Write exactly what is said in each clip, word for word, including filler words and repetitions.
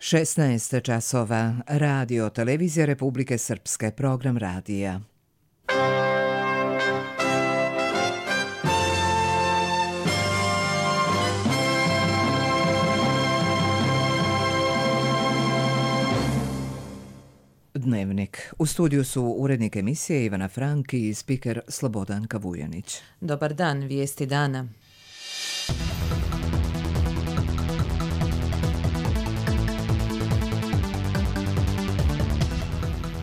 šesnaest časova. Radio Televizija Republike Srpske. Program radija. Dnevnik. U studiju su urednik emisije Ivana Frank i spiker Slobodanka Vujanić. Dobar dan, vijesti dana.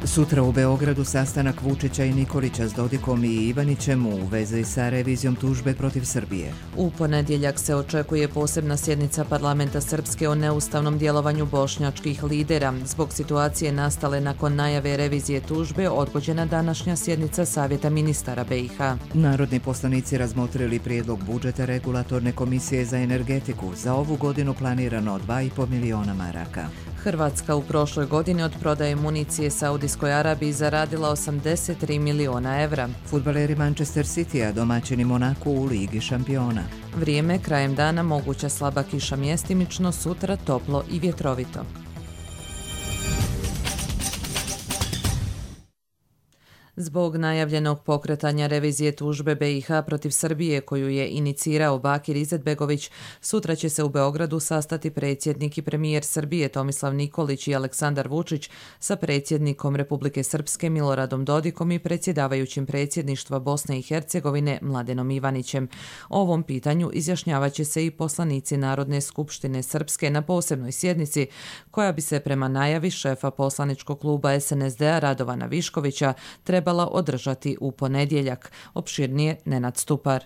Sutra u Beogradu sastanak Vučića i Nikolića s Dodikom i Ivanićem u vezi sa revizijom tužbe protiv Srbije. U ponedjeljak se očekuje posebna sjednica parlamenta Srpske o neustavnom djelovanju bošnjačkih lidera. Zbog situacije nastale nakon najave revizije tužbe odgođena današnja sjednica Savjeta ministara B i H. Narodni poslanici razmotrili prijedlog budžeta Regulatorne komisije za energetiku. Za ovu godinu planirano dva i pol miliona maraka. Hrvatska u prošloj godini od prodaje municije Saudijskoj Arabiji zaradila osamdeset tri miliona evra. Fudbaleri Manchester Citya domaćini Monaku u Ligi šampiona. Vrijeme krajem dana moguća slaba kiša mjestimično, sutra toplo i vjetrovito. Zbog najavljenog pokretanja revizije tužbe B i H protiv Srbije koju je inicirao Bakir Izetbegović, sutra će se u Beogradu sastati predsjednik i premijer Srbije Tomislav Nikolić i Aleksandar Vučić sa predsjednikom Republike Srpske Miloradom Dodikom i predsjedavajućim predsjedništva Bosne i Hercegovine Mladenom Ivanićem. O ovom pitanju izjašnjavat će se i poslanici Narodne skupštine Srpske na posebnoj sjednici koja bi se prema najavi šefa poslaničkog kluba S N S D-a Radovana Viškovića trebala održati u ponedjeljak. Opširnije Nenad Stupar.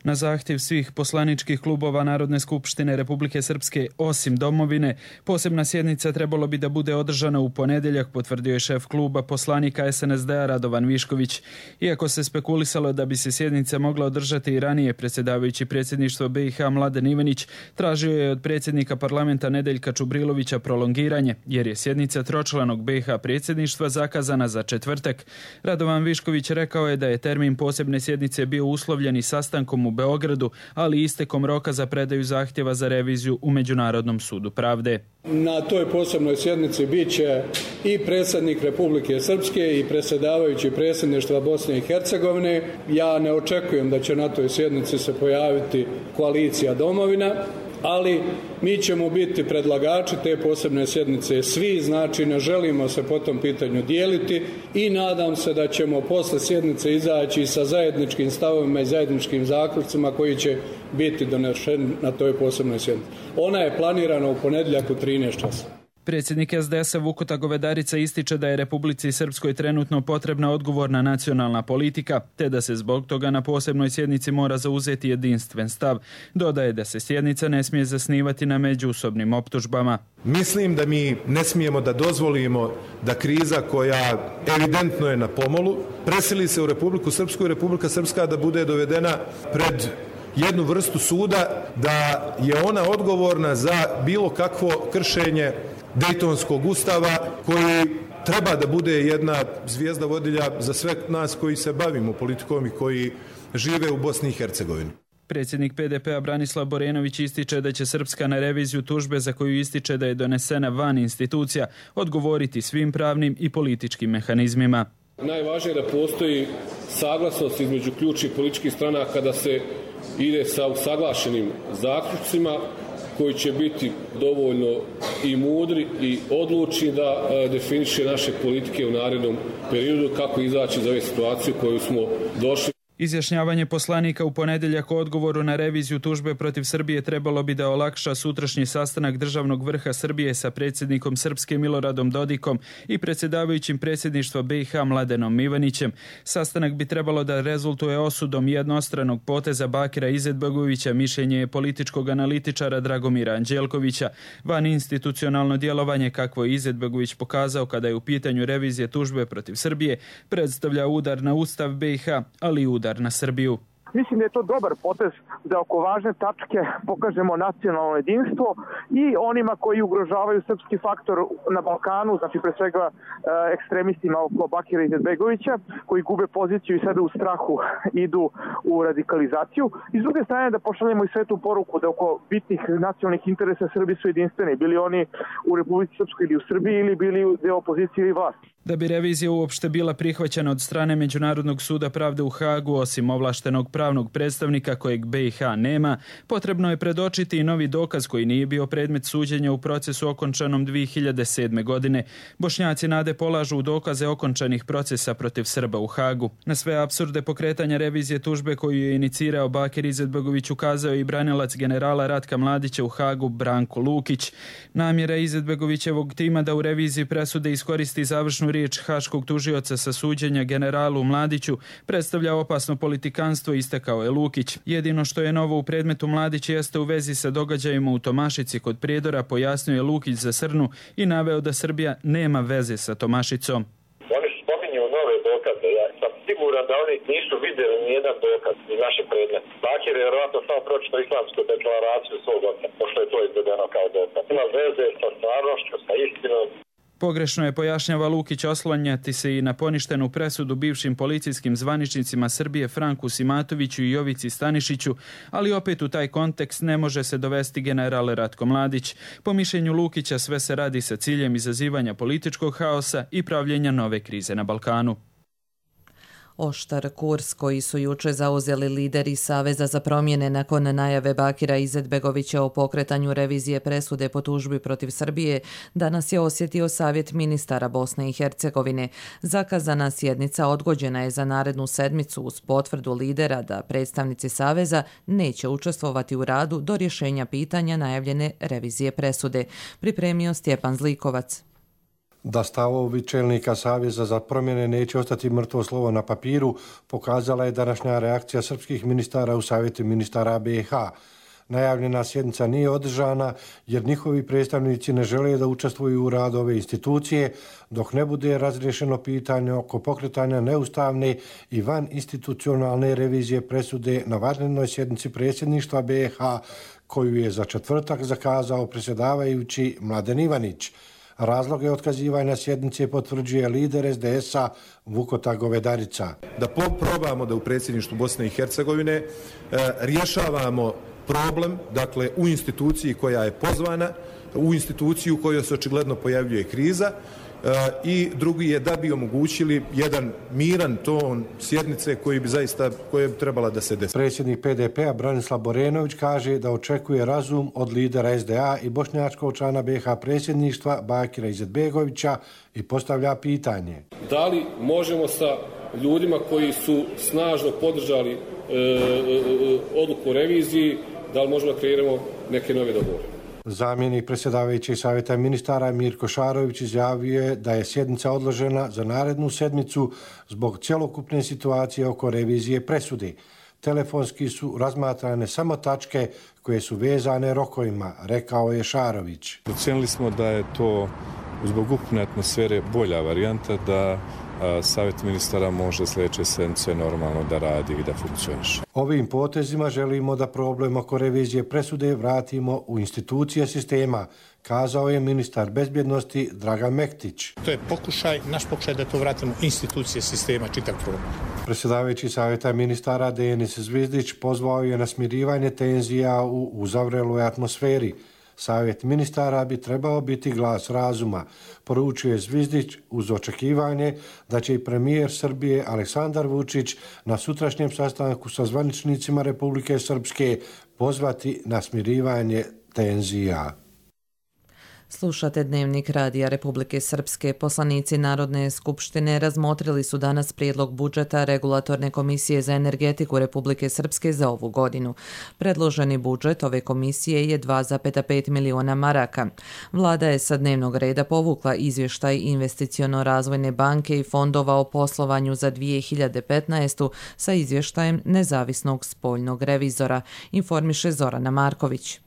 Na zahtjev svih poslaničkih klubova Narodne skupštine Republike Srpske osim Domovine, posebna sjednica trebalo bi da bude održana u ponedjeljak, potvrdio je šef kluba poslanika S N S D-a Radovan Višković. Iako se spekulisalo da bi se sjednica mogla održati i ranije, predsjedavajući predsjedništvo B i H Mladen Ivanić tražio je od predsjednika parlamenta Nedeljka Čubrilovića prolongiranje, jer je sjednica tročlanog B i H predsjedništva zakazana za četvrtak. Radovan Višković rekao je da je termin posebne sjednice bio uslovljen i sastankom u Beogradu, ali i istekom roka za predaju zahtjeva za reviziju u Međunarodnom sudu pravde. Na toj posebnoj sjednici bit će i predsjednik Republike Srpske i predsjedavajući predsjedništva Bosne i Hercegovine. Ja ne očekujem da će na toj sjednici se pojaviti koalicija Domovina, ali mi ćemo biti predlagači te posebne sjednice svi, znači ne želimo se po tom pitanju dijeliti i nadam se da ćemo posle sjednice izaći sa zajedničkim stavovima i zajedničkim zaključcima koji će biti donešeni na toj posebnoj sjednici. Ona je planirana u ponedjeljak u trinaest časova. Predsjednik S D S-a Vukuta Govedarica ističe da je Republici Srpskoj trenutno potrebna odgovorna nacionalna politika, te da se zbog toga na posebnoj sjednici mora zauzeti jedinstven stav. Dodaje da se sjednica ne smije zasnivati na međusobnim optužbama. Mislim da mi ne smijemo da dozvolimo da kriza koja evidentno je na pomolu presili se u Republiku Srpsku i Republika Srpska da bude dovedena pred jednu vrstu suda, da je ona odgovorna za bilo kakvo kršenje Dejtonskog ustava koji treba da bude jedna zvijezda vodilja za sve nas koji se bavimo politikom i koji žive u Bosni i Hercegovini. Predsjednik P D P-a Branislav Borenović ističe da će Srpska na reviziju tužbe za koju ističe da je donesena van institucija odgovoriti svim pravnim i političkim mehanizmima. Najvažnije je da postoji saglasnost između ključnih političkih stranaka da se ide sa usaglašenim zaključcima koji će biti dovoljno i mudri i odlučni da definiše naše politike u narednom periodu kako izaći iz ove situacije u koju smo došli. Izjašnjavanje poslanika u ponedjeljak o odgovoru na reviziju tužbe protiv Srbije trebalo bi da olakša sutrašnji sastanak državnog vrha Srbije sa predsjednikom Srpske Miloradom Dodikom i predsjedavajućim predsjedništva B i H Mladenom Ivanićem. Sastanak bi trebalo da rezultuje osudom jednostranog poteza Bakira Izetbegovića, mišljenje je političkog analitičara Dragomira Anđelkovića. Van institucionalno djelovanje kakvo je Izetbegović pokazao kada je u pitanju revizije tužbe protiv Srbije predstavlja udar na Ustav B i H, ali i udar na Srbiju. Mislim da je to dobar potez da oko važne tačke pokažemo nacionalno jedinstvo i onima koji ugrožavaju srpski faktor na Balkanu, znači pre svega ekstremistima oko Bakira Izetbegovića, koji gube poziciju i sada u strahu idu u radikalizaciju. I s druge strane da pošaljemo i svetu poruku da oko bitnih nacionalnih interesa Srbi su jedinstveni, bili oni u Republici Srpskoj ili u Srbiji ili bili deo opozicije ili vlasti. Da bi revizija uopšte bila prihvaćena od strane Međunarodnog suda pravde u Hagu, osim ovlaštenog pravnog predstavnika kojeg B i H nema, potrebno je predočiti i novi dokaz koji nije bio predmet suđenja u procesu okončanom dvije hiljade sedme. godine. Bošnjaci nade polažu u dokaze okončanih procesa protiv Srba u Hagu. Na sve apsurde pokretanja revizije tužbe koju je inicirao Bakir Izetbegović ukazao i branilac generala Ratka Mladića u Hagu Branko Lukić. Namjera Izetbegovićevog tima da u reviziji presude iskoristi završnu riječ haškog tužioca sa suđenja generalu Mladiću predstavlja opasno politikanstvo, istakao je Lukić. Jedino što je novo u predmetu Mladić jeste u vezi sa događajima u Tomašici kod Prijedora, pojasnio je Lukić za Srnu i naveo da Srbija nema veze sa Tomašicom. Oni spominju nove dokaze. Ja sam siguran da oni nisu vidjeli nijedan dokaz iz naše predmeta. Bakir je vjerojatno samo pročitao islamsku deklaraciju svog oca, pošto je to izvedeno kao dokaz. Ima veze sa stvarnošću, sa istinom. Pogrešno je, pojašnjava Lukić, oslanjati se i na poništenu presudu bivšim policijskim zvaničnicima Srbije Franku Simatoviću i Jovici Stanišiću, ali opet u taj kontekst ne može se dovesti general Ratko Mladić. Po mišljenju Lukića sve se radi sa ciljem izazivanja političkog haosa i pravljenja nove krize na Balkanu. Oštar kurs koji su juče zauzeli lideri Saveza za promjene nakon najave Bakira Izetbegovića o pokretanju revizije presude po tužbi protiv Srbije danas je osjetio Savjet ministara Bosne i Hercegovine. Zakazana sjednica odgođena je za narednu sedmicu uz potvrdu lidera da predstavnici Saveza neće učestvovati u radu do rješenja pitanja najavljene revizije presude. Pripremio Stjepan Zlikovac. Da stavovi čelnika Saveza za promjene neće ostati mrtvo slovo na papiru, pokazala je današnja reakcija srpskih ministara u Savjetu ministara B i H. Najavljena sjednica nije održana jer njihovi predstavnici ne žele da učestvuju u radu ove institucije dok ne bude razriješeno pitanje oko pokretanja neustavne i van institucionalne revizije presude na vanrednoj sjednici predsjedništva B i H koju je za četvrtak zakazao predsjedavajući Mladen Ivanić. Razloge otkazivanja sjednice potvrđuje lider es de es a Vukota Govedarica. Da probamo da u predsjedništvu Bosne i Hercegovine e, rješavamo problem, dakle u instituciji koja je pozvana, u instituciju u kojoj se očigledno pojavljuje kriza, i drugi je da bi omogućili jedan miran ton sjednice koji bi zaista koje bi trebala da se desi. Predsjednik P D P-a Branislav Borenović kaže da očekuje razum od lidera es de a i bošnjačkog člana be ha predsjedništva Bakira Izetbegovića i postavlja pitanje. Da li možemo sa ljudima koji su snažno podržali e, e, odluku o reviziji, da li možemo da kreiramo neke nove dogovore? Zamjenik predsjedavajućeg savjeta ministara Mirko Šarović izjavio je da je sjednica odložena za narednu sedmicu zbog cjelokupne situacije oko revizije presude. Telefonski su razmatrane samo tačke koje su vezane rokovima, rekao je Šarović. Ocenili smo da je to zbog ukupne atmosfere bolja varijanta da Savjet ministara može sljedeće sedmice normalno da radi i da funkcioniše. Ovim potezima želimo da problem oko revizije presude vratimo u institucije sistema, kazao je ministar bezbjednosti Dragan Mektić. To je pokušaj, naš pokušaj da to vratimo institucije sistema, čitav problem. Predsjedavajući savjeta ministara Denis Zvizdić pozvao je na smirivanje tenzija u uzavreloj atmosferi. Savjet ministara bi trebao biti glas razuma, poručuje Zvizdić uz očekivanje da će i premijer Srbije Aleksandar Vučić na sutrašnjem sastanku sa zvaničnicima Republike Srpske pozvati na smirivanje tenzija. Slušate Dnevnik Radija Republike Srpske. Poslanici Narodne skupštine razmotrili su danas prijedlog budžeta Regulatorne komisije za energetiku Republike Srpske za ovu godinu. Predloženi budžet ove komisije je dva zarez pet miliona maraka. Vlada je sa dnevnog reda povukla izvještaj Investiciono-razvojne banke i fondova o poslovanju za dvije hiljade petnaestu sa izvještajem nezavisnog spoljnog revizora, informiše Zorana Marković.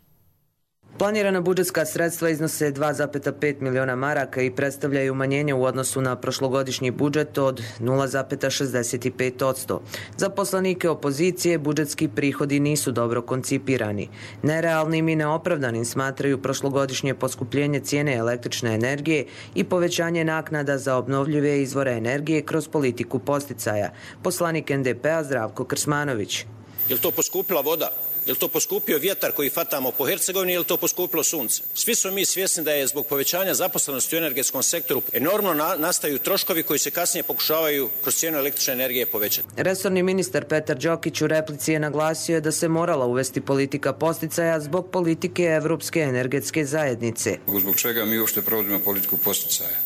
Planirana budžetska sredstva iznose dva zarez pet miliona maraka i predstavljaju umanjenje u odnosu na prošlogodišnji budžet od nula zarez šezdeset pet posto. Za poslanike opozicije budžetski prihodi nisu dobro koncipirani. Nerealnim i neopravdanim smatraju prošlogodišnje poskupljenje cijene električne energije i povećanje naknada za obnovljive izvore energije kroz politiku podsticaja. Poslanik en de pe-a Zdravko Krsmanović. Je li to poskupila voda? Je li to poskupio vjetar koji fatamo po Hercegovini, je li to poskupilo sunce? Svi smo mi svjesni da je zbog povećanja zaposlenosti u energetskom sektoru enormno na, nastaju troškovi koji se kasnije pokušavaju kroz cijenu električne energije povećati. Resorni ministar Petar Đokić u replici je naglasio da se morala uvesti politika podsticaja zbog politike Evropske energetske zajednice. Zbog čega mi uopšte provodimo politiku podsticaja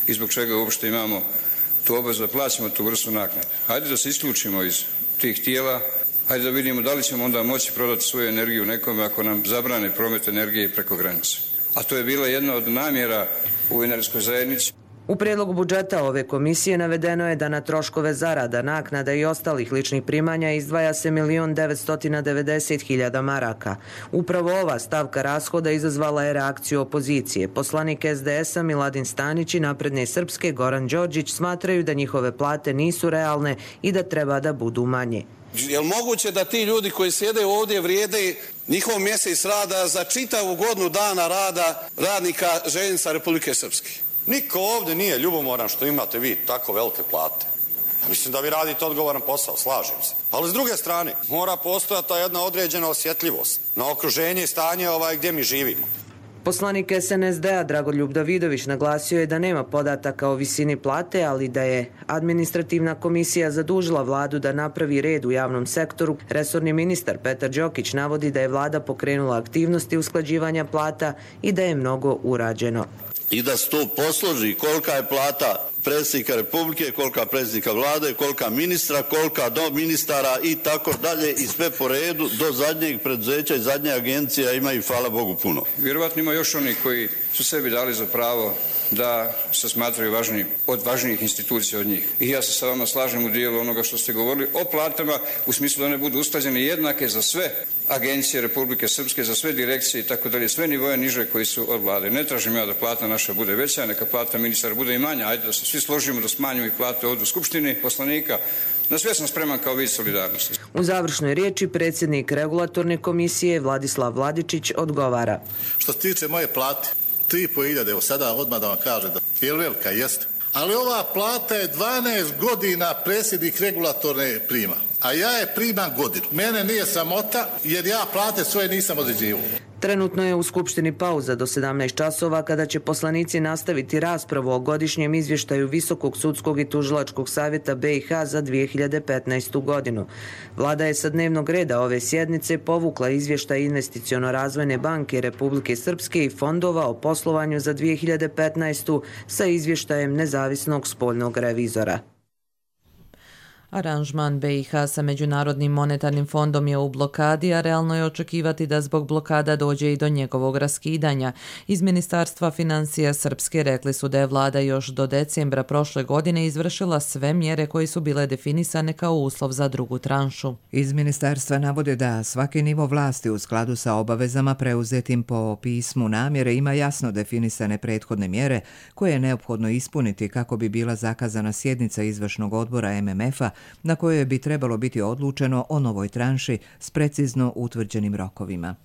i zbog čega uopšte imamo tu obavezu da plaćamo tu vrstu naknade. Hajde da se isključimo iz tih tijela. Hajde da vidimo da li ćemo onda moći prodati svoju energiju nekome ako nam zabrane promet energije preko granice. A to je bila jedna od namjera u energetskoj zajednici. U prijedlogu budžeta ove komisije navedeno je da na troškove zarada, naknada i ostalih ličnih primanja izdvaja se milion devetsto devedeset hiljada maraka. Upravo ova stavka rashoda izazvala je reakciju opozicije. Poslanik es de es-a Miladin Stanić i Napredne Srpske Goran Đorđić smatraju da njihove plate nisu realne i da treba da budu manje. Je li moguće da ti ljudi koji sjede ovdje vrijede njihov mjesec rada za čitavu godinu dana rada radnika željeznica Republike Srpske? Niko ovdje nije ljubomoran što imate vi tako velike plate. Mislim da vi radite odgovoran posao, slažem se. Ali s druge strane, mora postojati ta jedna određena osjetljivost na okruženje i stanje ovaj gdje mi živimo. Poslanik es en es de-a Dragoljub Davidović naglasio je da nema podataka o visini plate, ali da je administrativna komisija zadužila vladu da napravi red u javnom sektoru. Resorni ministar Petar Đokić navodi da je vlada pokrenula aktivnosti usklađivanja plata i da je mnogo urađeno. I da se to posloži kolika je plata predsjednika Republike, kolika predsjednika vlade, kolika ministra, kolika do ministara i tako dalje i sve po redu do zadnjeg preduzeća i zadnje agencije imaju, hvala Bogu, puno. Vjerovatno ima još oni koji su sebi dali za pravo da se smatraju važniji, od važnijih institucija od njih. I ja se sa vama slažem u dijelu onoga što ste govorili o platama u smislu da one budu usklađene jednake za sve agencije Republike Srpske, za sve direkcije i tako dalje, sve nivoje niže koji su od vlade. Ne tražim ja da plata naša bude veća, neka plata ministara bude i manja. Ajde da se svi složimo da smanjimo i plate ovdje u Skupštini poslanika. Na sve sam spreman kao vid solidarnosti. U završnoj riječi predsjednik regulatorne komisije Vladislav Vladičić odgovara. Što se tiče moje plate, tri i po hiljade, evo sada odmah da vam kažem da je velika, jeste. Ali ova plata je dvanaest godina predsjednik regulatorne prima, a ja je primam godinu. Mene nije sramota jer ja plate svoje nisam određivao. Trenutno je u Skupštini pauza do sedamnaest časova kada će poslanici nastaviti raspravu o godišnjem izvještaju Visokog sudskog i tužilačkog savjeta be i ha za dvije hiljade petnaestu godinu. Vlada je sa dnevnog reda ove sjednice povukla izvještaj Investiciono-razvojne banke Republike Srpske i fondova o poslovanju za dvije hiljade petnaestu sa izvještajem nezavisnog spoljnog revizora. Aranžman be i ha sa Međunarodnim monetarnim fondom je u blokadi, a realno je očekivati da zbog blokada dođe i do njegovog raskidanja. Iz Ministarstva financija Srpske rekli su da je vlada još do decembra prošle godine izvršila sve mjere koje su bile definisane kao uslov za drugu tranšu. Iz ministarstva navode da svaki nivo vlasti u skladu sa obavezama preuzetim po pismu namjere ima jasno definisane prethodne mjere koje je neophodno ispuniti kako bi bila zakazana sjednica izvršnog odbora em em ef-a na kojoj bi trebalo biti odlučeno o novoj tranši s precizno utvrđenim rokovima.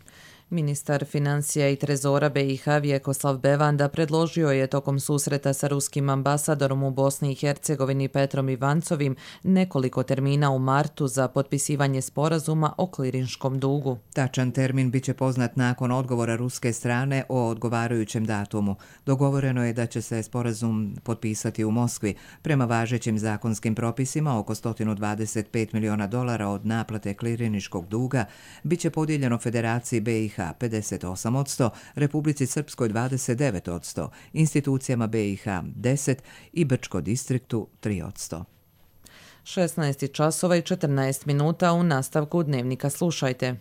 Ministar financija i trezora be i ha Vjekoslav Bevanda predložio je tokom susreta sa ruskim ambasadorom u Bosni i Hercegovini Petrom Ivancovim nekoliko termina u martu za potpisivanje sporazuma o klirinškom dugu. Tačan termin biće poznat nakon odgovora ruske strane o odgovarajućem datumu. Dogovoreno je da će se sporazum potpisati u Moskvi. Prema važećim zakonskim propisima oko sto dvadeset pet miliona dolara od naplate kliriniškog duga biće podijeljeno Federaciji be i ha pedeset osam posto, Republici Srpskoj dvadeset devet posto, institucijama be i ha deset i Brčko distriktu tri posto. šesnaest časova i četrnaest minuta u nastavku dnevnika slušajte.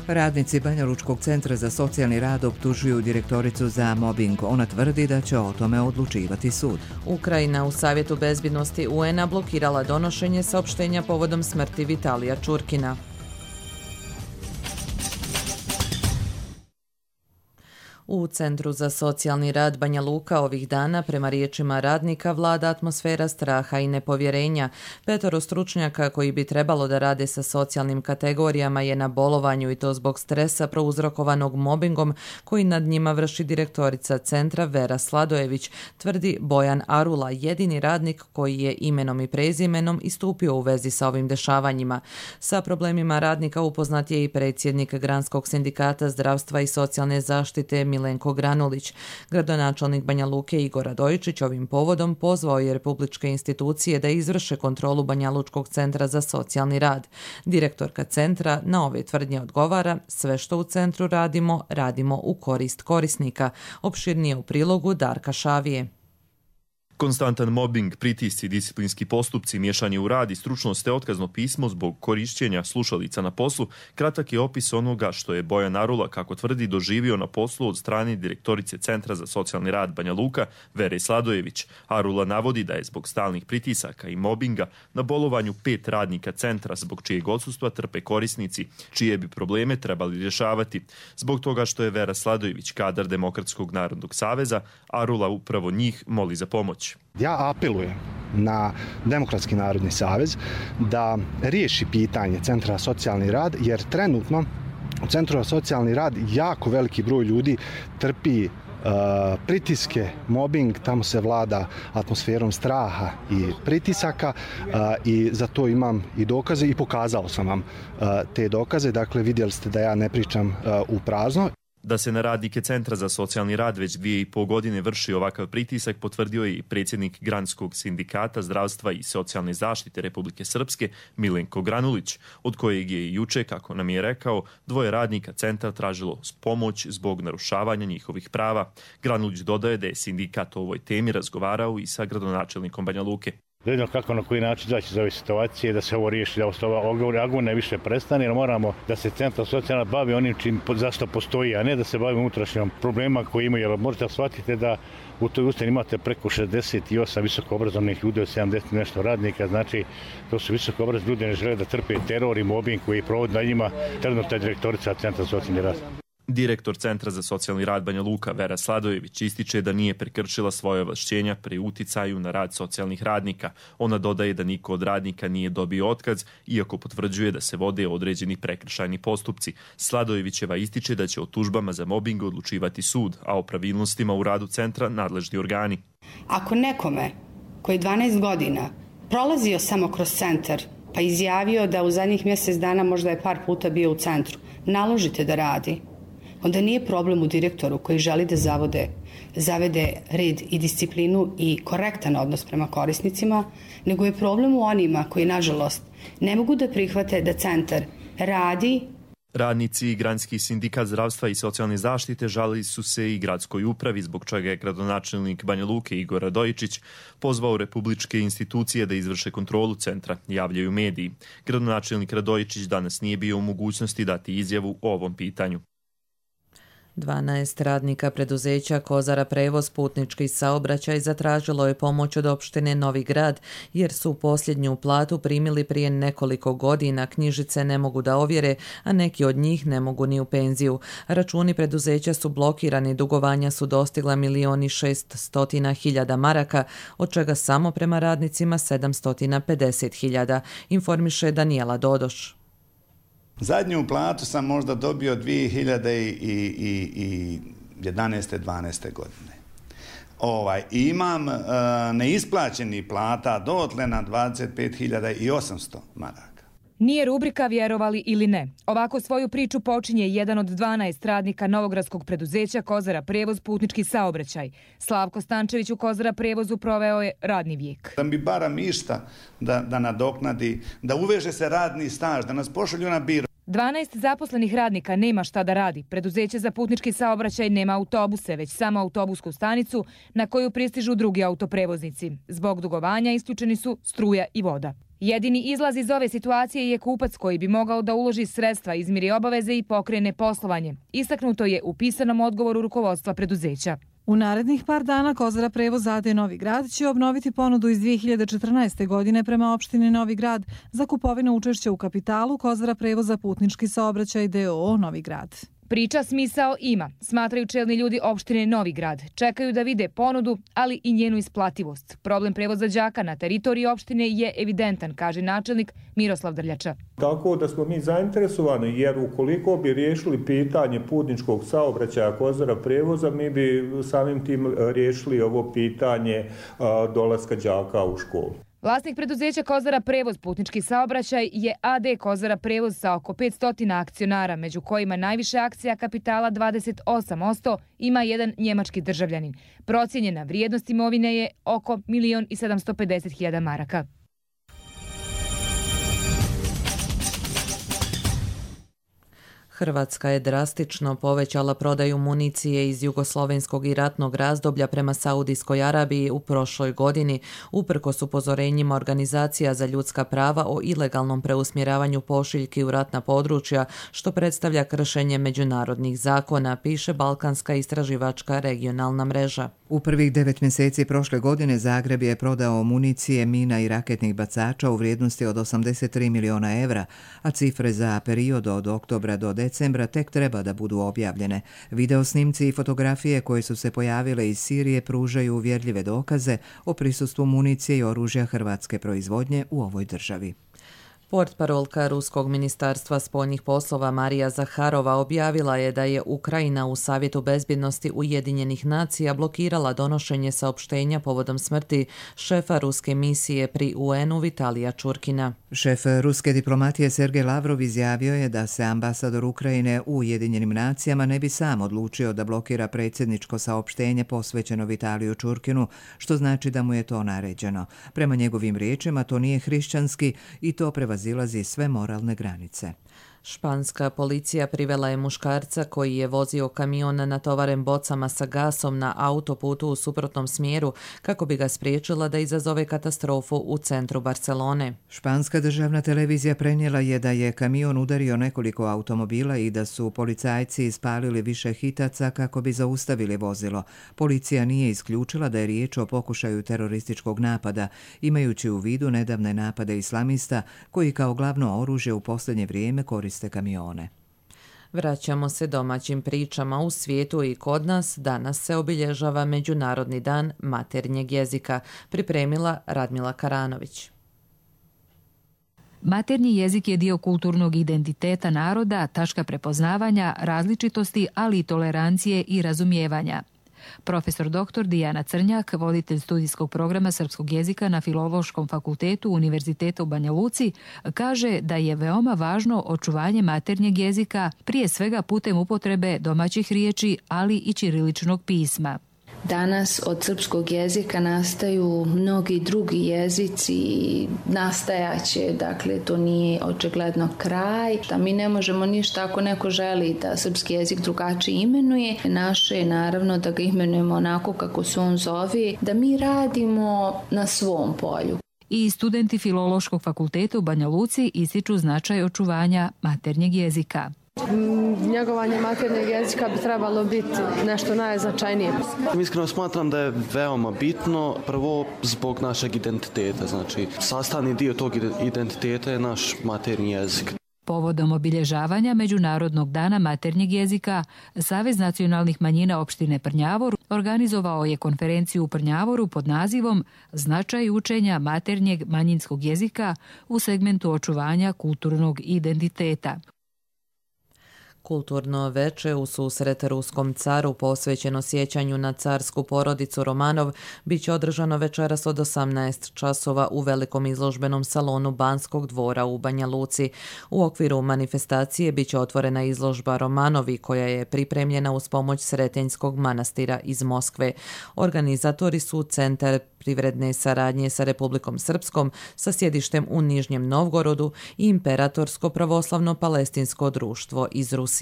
Radnici Banjalučkog centra za socijalni rad optužuju direktoricu za mobing. Ona tvrdi da će o tome odlučivati sud. Ukrajina u Savjetu bezbjednosti U N-a blokirala donošenje saopštenja povodom smrti Vitalija Čurkina. U Centru za socijalni rad Banja Luka ovih dana, prema riječima radnika, vlada atmosfera straha i nepovjerenja. Petoro stručnjaka koji bi trebalo da rade sa socijalnim kategorijama je na bolovanju i to zbog stresa prouzrokovanog mobingom koji nad njima vrši direktorica centra Vera Sladojević, tvrdi Bojan Arula, jedini radnik koji je imenom i prezimenom istupio u vezi sa ovim dešavanjima. Sa problemima radnika upoznat je i predsjednik Granskog sindikata zdravstva i socijalne zaštite Milenko Granulić. Gradonačelnik Banja Luke Igor Radojičić ovim povodom pozvao je republičke institucije da izvrše kontrolu Banjalučkog centra za socijalni rad. Direktorka centra na ove tvrdnje odgovara: sve što u centru radimo, radimo u korist korisnika. Opširnije u prilogu Darka Šavije. Konstantan mobbing, pritisci, disciplinski postupci, miješanje u rad i stručnost te otkazno pismo zbog korišćenja slušalica na poslu, kratak je opis onoga što je Bojan Arula, kako tvrdi, doživio na poslu od strane direktorice Centra za socijalni rad Banja Luka, Vere Sladojević. Arula navodi da je zbog stalnih pritisaka i mobinga na bolovanju pet radnika centra, zbog čijeg odsustva trpe korisnici, čije bi probleme trebali rješavati. Zbog toga što je Vera Sladojević kadar Demokratskog narodnog saveza, Arula upravo njih moli za pomoć. Ja apelujem na Demokratski narodni savez da riješi pitanje Centra za socijalni rad, jer trenutno u Centru za socijalni rad jako veliki broj ljudi trpi uh, pritiske, mobbing, tamo se vlada atmosferom straha i pritisaka uh, i za to imam i dokaze i pokazao sam vam uh, te dokaze. Dakle, vidjeli ste da ja ne pričam uh, u prazno. Da se na radnike Centra za socijalni rad već dvije i pol godine vrši ovakav pritisak potvrdio je i predsjednik Granskog sindikata zdravstva i socijalne zaštite Republike Srpske Milenko Granulić, od kojeg je i juče, kako nam je rekao, dvoje radnika centra tražilo pomoć zbog narušavanja njihovih prava. Granulić dodaje da je sindikat o ovoj temi razgovarao i sa gradonačelnikom Banja Luke. Da vidimo kako, na koji način zaći iz ove situacije, da se ovo riješi, da ova agonija više prestane, jer moramo da se Centar socijalna bavi onim čim zašto postoji, a ne da se bavi unutrašnjom problema koji imaju. Jer možete shvatiti da u toj ustani imate preko šezdeset osam visoko obrazovnih ljudi od sedamdeset nešto radnika, znači to su visoko obrazovni ljudi, ne žele da trpe teror i mobbing koji provodi na njima trenutna direktorica Centra socijalni rad. Direktor Centra za socijalni rad Banja Luka Vera Sladojević ističe da nije prekršila svoje ovlašćenja pri uticaju na rad socijalnih radnika. Ona dodaje da niko od radnika nije dobio otkaz, iako potvrđuje da se vode određeni prekršajni postupci. Sladojevićeva ističe da će o tužbama za mobing odlučivati sud, a o pravilnostima u radu centra nadležni organi. Ako nekome koji dvanaest godina prolazio samo kroz centar, pa izjavio da u zadnjih mjesec dana možda je par puta bio u centru, naložite da radi, onda nije problem u direktoru koji želi da zavode, zavede red i disciplinu i korektan odnos prema korisnicima, nego je problem u onima koji, nažalost, ne mogu da prihvate da centar radi. Radnici i Granski sindikat zdravstva i socijalne zaštite žalili su se i gradskoj upravi, zbog čega je gradonačelnik Banja Luke Igor Radojičić pozvao republičke institucije da izvrše kontrolu centra, javljaju mediji. Gradonačelnik Radojičić danas nije bio u mogućnosti dati izjavu o ovom pitanju. dvanaest radnika preduzeća Kozara prevoz putnički saobraćaj zatražilo je pomoć od opštine Novi Grad, jer su posljednju platu primili prije nekoliko godina, knjižice ne mogu da ovjere, a neki od njih ne mogu ni u penziju. Računi preduzeća su blokirani, dugovanja su dostigla milion i šeststotina hiljada maraka, od čega samo prema radnicima sedamsto pedeset hiljada, informiše Danijela Dodoš. Zadnju platu sam možda dobio dvije hiljade jedanaeste dvanaeste godine. Ovaj, imam e, neisplaćeni plata dotle na dvadeset pet hiljada osamsto maraka. Nije rubrika vjerovali ili ne. Ovako svoju priču počinje jedan od dvanaest radnika novogradskog preduzeća Kozara prevoz putnički saobraćaj. Slavko Stančević u Kozara prevozu proveo je radni vijek. Da mi baram išta da, da nadoknadi, da uveže se radni staž, da nas pošalju na biro. dvanaest zaposlenih radnika nema šta da radi. Preduzeće za putnički saobraćaj nema autobuse, već samo autobusku stanicu na koju pristižu drugi autoprevoznici. Zbog dugovanja isključeni su struja i voda. Jedini izlaz iz ove situacije je kupac koji bi mogao da uloži sredstva, izmiri obaveze i pokrene poslovanje. Istaknuto je u pisanom odgovoru rukovodstva preduzeća. U narednih par dana Kozara prevoz A D Novi Grad će obnoviti ponudu iz dvije hiljade četrnaeste. godine prema opštini Novi Grad za kupovinu učešća u kapitalu Kozara prevoza putnički saobraćaj D O O Novi Grad. Priča smisao ima, smatraju čelni ljudi opštine Novi Grad. Čekaju da vide ponudu, ali i njenu isplativost. Problem prevoza đaka na teritoriji opštine je evidentan, kaže načelnik Miroslav Drljača. Tako da smo mi zainteresovani, jer ukoliko bi riješili pitanje putničkog saobraćaja Kozara prevoza, mi bi samim tim riješili ovo pitanje dolaska đaka u školu. Vlasnik preduzeća Kozara prevoz putnički saobraćaj je A D Kozara prevoz sa oko petsto akcionara, među kojima najviše akcija kapitala dvadeset osam posto ima jedan njemački državljanin. Procijenjena vrijednost imovine je oko milion i sedamsto pedeset hiljada maraka. Hrvatska je drastično povećala prodaju municije iz jugoslovenskog i ratnog razdoblja prema Saudijskoj Arabiji u prošloj godini, uprkos upozorenjima organizacija za ljudska prava o ilegalnom preusmjeravanju pošiljki u ratna područja, što predstavlja kršenje međunarodnih zakona, piše Balkanska istraživačka regionalna mreža. U prvih devet mjeseci prošle godine Zagreb je prodao municije, mina i raketnih bacača u vrijednosti od osamdeset tri miliona evra, a cifre za period od oktobra do decembra tek treba da budu objavljene. Video snimci i fotografije koje su se pojavile iz Sirije pružaju uvjerljive dokaze o prisustvu municije i oružja hrvatske proizvodnje u ovoj državi. Portparolka Ruskog ministarstva spoljnih poslova Marija Zaharova objavila je da je Ukrajina u Savjetu bezbjednosti Ujedinjenih nacija blokirala donošenje saopštenja povodom smrti šefa ruske misije pri U N-u Vitalija Čurkina. Šef ruske diplomatije Sergej Lavrov izjavio je da se ambasador Ukrajine u Ujedinjenim nacijama ne bi sam odlučio da blokira predsjedničko saopštenje posvećeno Vitaliju Čurkinu, što znači da mu je to naređeno. Prema njegovim riječima to nije hrišćanski i to prevazilazi sve moralne granice. Španska policija privela je muškarca koji je vozio kamion natovaren bocama sa gasom na autoputu u suprotnom smjeru kako bi ga spriječila da izazove katastrofu u centru Barcelone. Španska državna televizija prenijela je da je kamion udario nekoliko automobila i da su policajci ispalili više hitaca kako bi zaustavili vozilo. Policija nije isključila da je riječ o pokušaju terorističkog napada, imajući u vidu nedavne napade islamista koji kao glavno oružje u posljednje vrijeme koriste kamione. Vraćamo se domaćim pričama. U svijetu i kod nas danas se obilježava Međunarodni dan maternjeg jezika, pripremila Radmila Karanović. Maternji jezik je dio kulturnog identiteta naroda, tačka prepoznavanja, različitosti, ali i tolerancije i razumijevanja. Profesor doktor Dijana Crnjak, voditelj studijskog programa srpskog jezika na Filološkom fakultetu Univerziteta u Banja Luci, kaže da je veoma važno očuvanje maternjeg jezika, prije svega putem upotrebe domaćih riječi, ali i ćiriličnog pisma. Danas od srpskog jezika nastaju mnogi drugi jezici i nastajaće, dakle to nije očigledno kraj. Da mi ne možemo ništa ako neko želi da srpski jezik drugačije imenuje. Naše je naravno da ga imenujemo onako kako se on zove, da mi radimo na svom polju. I studenti Filološkog fakulteta u Banja Luci ističu značaj očuvanja maternjeg jezika. Njegovanje maternjeg jezika bi trebalo biti nešto najznačajnije. Iskreno smatram da je veoma bitno, prvo zbog našeg identiteta, znači sastavni dio tog identiteta je naš maternji jezik. Povodom obilježavanja Međunarodnog dana maternjeg jezika, Savez nacionalnih manjina opštine Prnjavor organizovao je konferenciju u Prnjavoru pod nazivom Značaj učenja maternjeg manjinskog jezika u segmentu očuvanja kulturnog identiteta. Kulturno veče u susret ruskom caru posvećeno sjećanju na carsku porodicu Romanov bit će održano večeras od osamnaest časova u velikom izložbenom salonu Banskog dvora u Banja Luci. U okviru manifestacije bit će otvorena izložba Romanovi koja je pripremljena uz pomoć Sretenjskog manastira iz Moskve. Organizatori su Centar privredne saradnje sa Republikom Srpskom sa sjedištem u Nižnjem Novgorodu i Imperatorsko pravoslavno palestinsko društvo iz Rusije.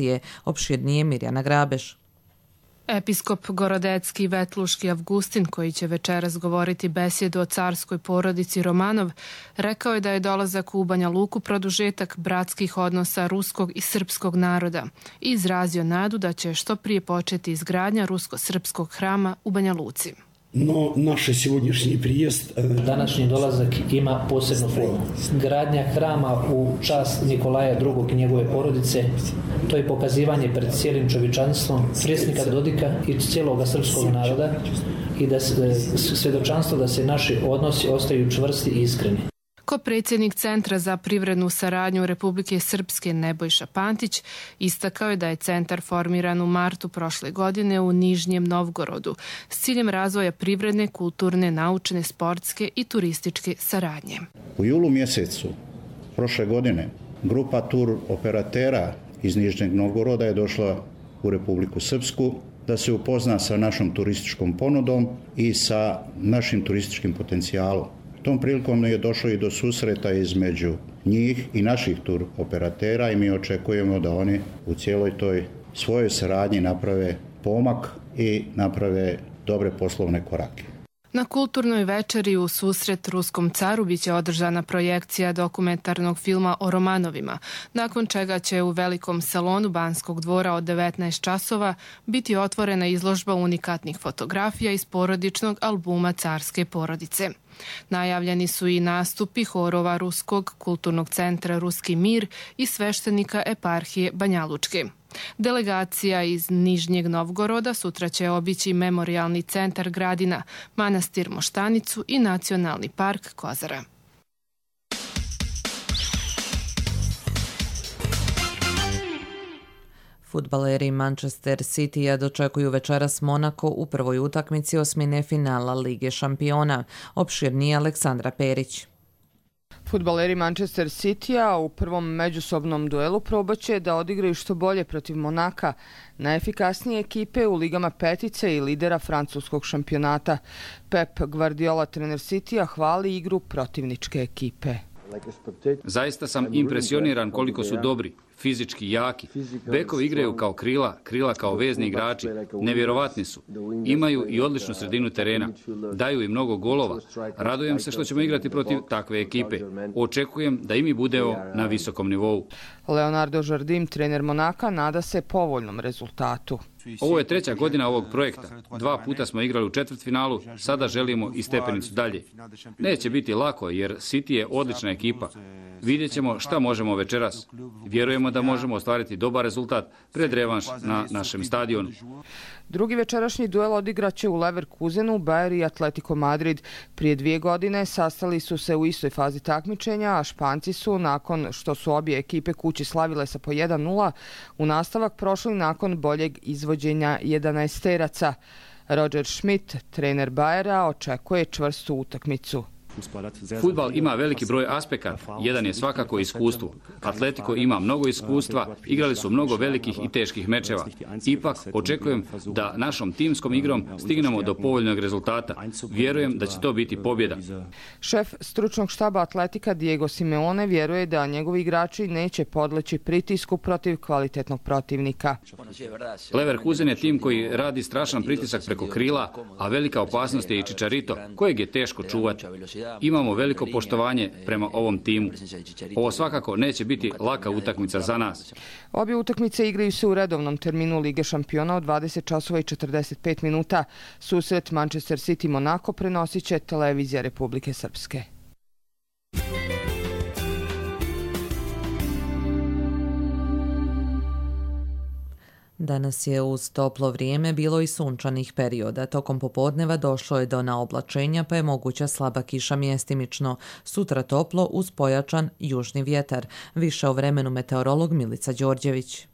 Opširnije Mirjana Grabeš. Episkop Gorodecki Vetluški Avgustin, koji će večeras govoriti besjedu o carskoj porodici Romanov, rekao je da je dolazak u Banja Luku produžetak bratskih odnosa ruskog i srpskog naroda i izrazio nadu da će što prije početi izgradnja rusko-srpskog hrama u Banja Luci. No, naše сегодняшний приезд... Današnji dolazak ima posebnu formu. Gradnja hrama u čast Nikolaja drugog i njegove porodice, to je pokazivanje pred cijelim čovječanstvom predsjednika Dodika i cijelog srpskog naroda i da svjedočanstvo da se naši odnosi ostaju čvrsti i iskreni. Ko-predsjednik Centra za privrednu saradnju Republike Srpske Nebojša Pantić istakao je da je centar formiran u martu prošle godine u Nižnjem Novgorodu s ciljem razvoja privredne, kulturne, naučne, sportske i turističke saradnje. U julu mjesecu prošle godine grupa tur operatera iz Nižnjeg Novgoroda je došla u Republiku Srpsku da se upozna sa našom turističkom ponudom i sa našim turističkim potencijalom. Tom prilikom je došlo i do susreta između njih i naših tur operatera i mi očekujemo da oni u cijeloj toj svojoj saradnji naprave pomak i naprave dobre poslovne korake. Na kulturnoj večeri u susret ruskom caru biće održana projekcija dokumentarnog filma o Romanovima, nakon čega će u velikom salonu Banskog dvora od devetnaest časova biti otvorena izložba unikatnih fotografija iz porodičnog albuma carske porodice. Najavljeni su i nastupi horova Ruskog kulturnog centra Ruski mir i sveštenika eparhije Banjalučke. Delegacija iz Nižnjeg Novgoroda sutra će obići memorijalni centar Gradina, manastir Moštanicu i nacionalni park Kozara. Fudbaleri Manchester Citya dočekuju večeras Monako u prvoj utakmici osmine finala Lige šampiona. Opširnije Aleksandra Perić. Fudbaleri Manchester Citya u prvom međusobnom duelu probaće da odigraju što bolje protiv Monaka, najefikasnije ekipe u ligama petice i lidera francuskog šampionata. Pep Guardiola, trener Citya, hvali igru protivničke ekipe. Zaista sam impresioniran koliko su dobri, fizički jaki. Bekovi igraju kao krila, krila kao vezni igrači. Nevjerovatni su. Imaju i odličnu sredinu terena. Daju i mnogo golova. Radujem se što ćemo igrati protiv takve ekipe. Očekujem da i mi budemo na visokom nivou. Leonardo Jardim, trener Monaka, nada se povoljnom rezultatu. Ovo je treća godina ovog projekta. Dva puta smo igrali u četvrtfinalu, sada želimo i stepenicu dalje. Neće biti lako jer City je odlična ekipa. Vidjet ćemo šta možemo večeras. Vjerujemo da možemo ostvariti dobar rezultat pred revanš na našem stadionu. Drugi večerašnji duel odigraće u Leverkusenu, Bayern i Atletico Madrid. Prije dvije godine sastali su se u istoj fazi takmičenja, a Španci su, nakon što su obje ekipe kući slavile sa po jedan nula, u nastavak prošli nakon boljeg izvođenja jedanaesteraca. Roger Schmidt, trener Bayera, očekuje čvrstu utakmicu. Fudbal ima veliki broj aspekata, jedan je svakako iskustvo. Atletico ima mnogo iskustva, igrali su mnogo velikih i teških mečeva. Ipak, očekujem da našom timskom igrom stignemo do povoljnog rezultata. Vjerujem da će to biti pobjeda. Šef stručnog štaba Atletika Diego Simeone vjeruje da njegovi igrači neće podleći pritisku protiv kvalitetnog protivnika. Leverkusen je tim koji radi strašan pritisak preko krila, a velika opasnost je i Chicharito, kojeg je teško čuvati. Imamo veliko poštovanje prema ovom timu. Ovo svakako neće biti laka utakmica za nas. Obje utakmice igraju se u redovnom terminu Lige šampiona od dvadeset časova i četrdeset pet minuta. Susret Manchester City Monako prenosit će televizija Republike Srpske. Danas je uz toplo vrijeme bilo i sunčanih perioda. Tokom popodneva došlo je do naoblačenja pa je moguća slaba kiša mjestimično. Sutra toplo uz pojačan južni vjetar. Više o vremenu meteorolog Milica Đorđević.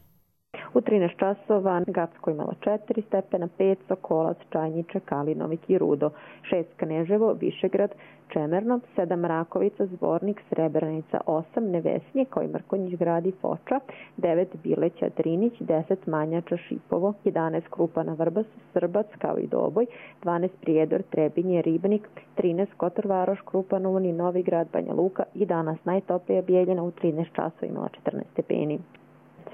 U trinaest časova Gacko imalo četiri stepena, pet Sokolac, Čajniče, Kalinovik i Rudo, šest Kneževo, Višegrad, Čemerno, sedam Rakovica, Zvornik, Srebrenica, osam Nevesnje, kao i Mrkonjić grad i Foča, devet Bileća, Drinić, deset Manjača, Šipovo, jedanaest Krupana, Vrbas, Srbac, kao i Doboj, dvanaest Prijedor, Trebinje, Ribnik, trinaest Kotor Varoš, Krupanov i Novi grad, Banja Luka i danas najtoplija Bijeljina u trinaest časova imala četrnaest stepeni.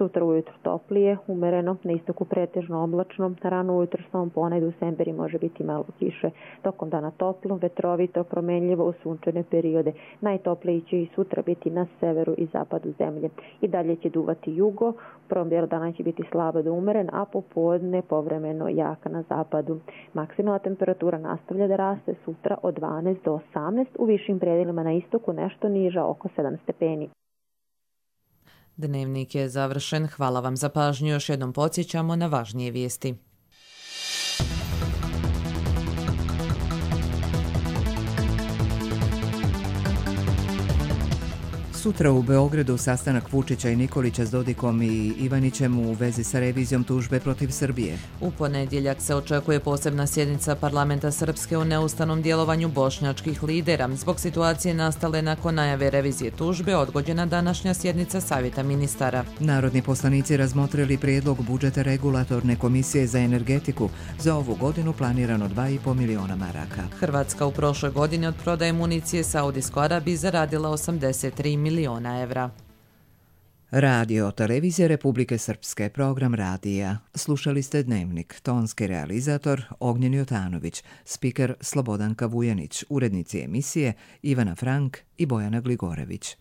Sutra ujutro toplije, umereno, na istoku pretežno oblačno, rano ujutro slom ponegde u Semberi može biti malo kiše. Tokom dana toplo, vetrovito, promenljivo u sunčane periode. Najtoplije će i sutra biti na severu i zapadu zemlje. I dalje će duvati jugo, u prvom dijelu dana će biti slabo do umeren, a popodne povremeno jaka na zapadu. Maksimalna temperatura nastavlja da raste sutra od dvanaest do osamnaest, u višim predelima na istoku nešto niža oko sedam stepeni. Dnevnik je završen. Hvala vam za pažnju. Još jednom podsjećamo na važnije vijesti. Sutra u Beogradu sastanak Vučića i Nikolića s Dodikom i Ivanićem u vezi sa revizijom tužbe protiv Srbije. U ponedjeljak se očekuje posebna sjednica parlamenta Srpske o neustavnom djelovanju bošnjačkih lidera. Zbog situacije nastale nakon najave revizije tužbe odgođena današnja sjednica Savjeta ministara. Narodni poslanici razmotrili prijedlog budžeta regulatorne komisije za energetiku. Za ovu godinu planirano dva i po miliona maraka. Hrvatska u prošloj godini od prodaje municije Saudijskoj Arabiji zaradila osamdeset tri miliona evra. Radio Televizija Republike Srpske, program radija. Slušali ste Dnevnik, tonski realizator Ognjen Jotanović, spiker Slobodanka Vujanić, urednici emisije Ivana Frank i Bojana Gligorević.